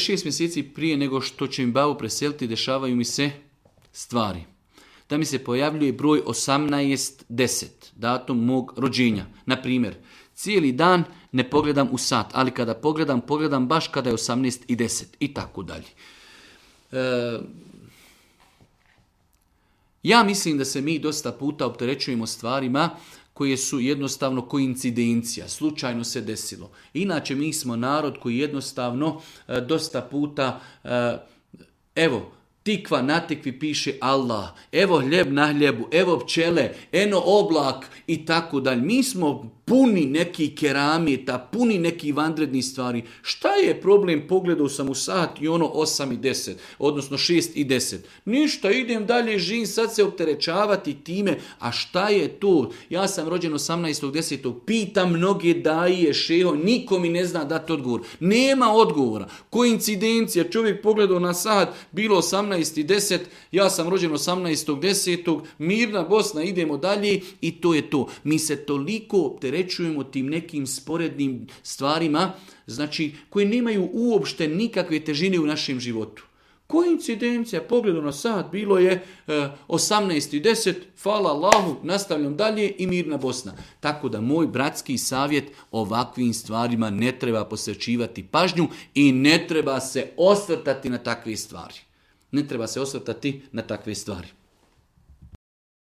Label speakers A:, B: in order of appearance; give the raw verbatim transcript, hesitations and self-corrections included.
A: šest mjeseci prije nego što će mi babu preseliti, dešavaju mi se stvari. Da mi se pojavljuje broj osamnaest deset, datum mog rođenja. Na primjer, cijeli dan ne pogledam u sat, ali kada pogledam, pogledam baš kada je osamnaest i deset i tako dalje. E, ja mislim da se mi dosta puta opterećujemo stvarima koje su jednostavno koincidencija, slučajno se desilo. Inače, mi smo narod koji jednostavno e, dosta puta, e, evo, tikva na tikvi piše Allah, evo hljeb na hljebu, evo pčele, eno oblak i tako dalje. Mi smo puni neki keramita, puni neki vanredni stvari. Šta je problem? Pogledao sam u sat i ono osam i deset, odnosno šest i deset. Ništa, idem dalje, živim, sad se opterećavati time. A šta je to? Ja sam rođen osamnaestog desetog Pitam mnoge daje, šeho, niko mi ne zna dati odgovor. Nema odgovora. Koincidencija, čovjek pogledao na sat, bilo osamnaest i deset, ja sam rođen osamnaestog desetog mirna Bosna, idemo dalje i to je to. Mi se toliko opterećujemo Rečujemo tim nekim sporednim stvarima, znači koje nemaju uopšte nikakve težine u našem životu. Koincidencija, pogledu na sat, bilo je e, osamnaest i deset, hvala Allahu, nastavljam dalje i mirna Bosna. Tako da moj bratski savjet, ovakvim stvarima ne treba posvećivati pažnju i ne treba se osvrtati na takve stvari. Ne treba se osvrtati na takve stvari.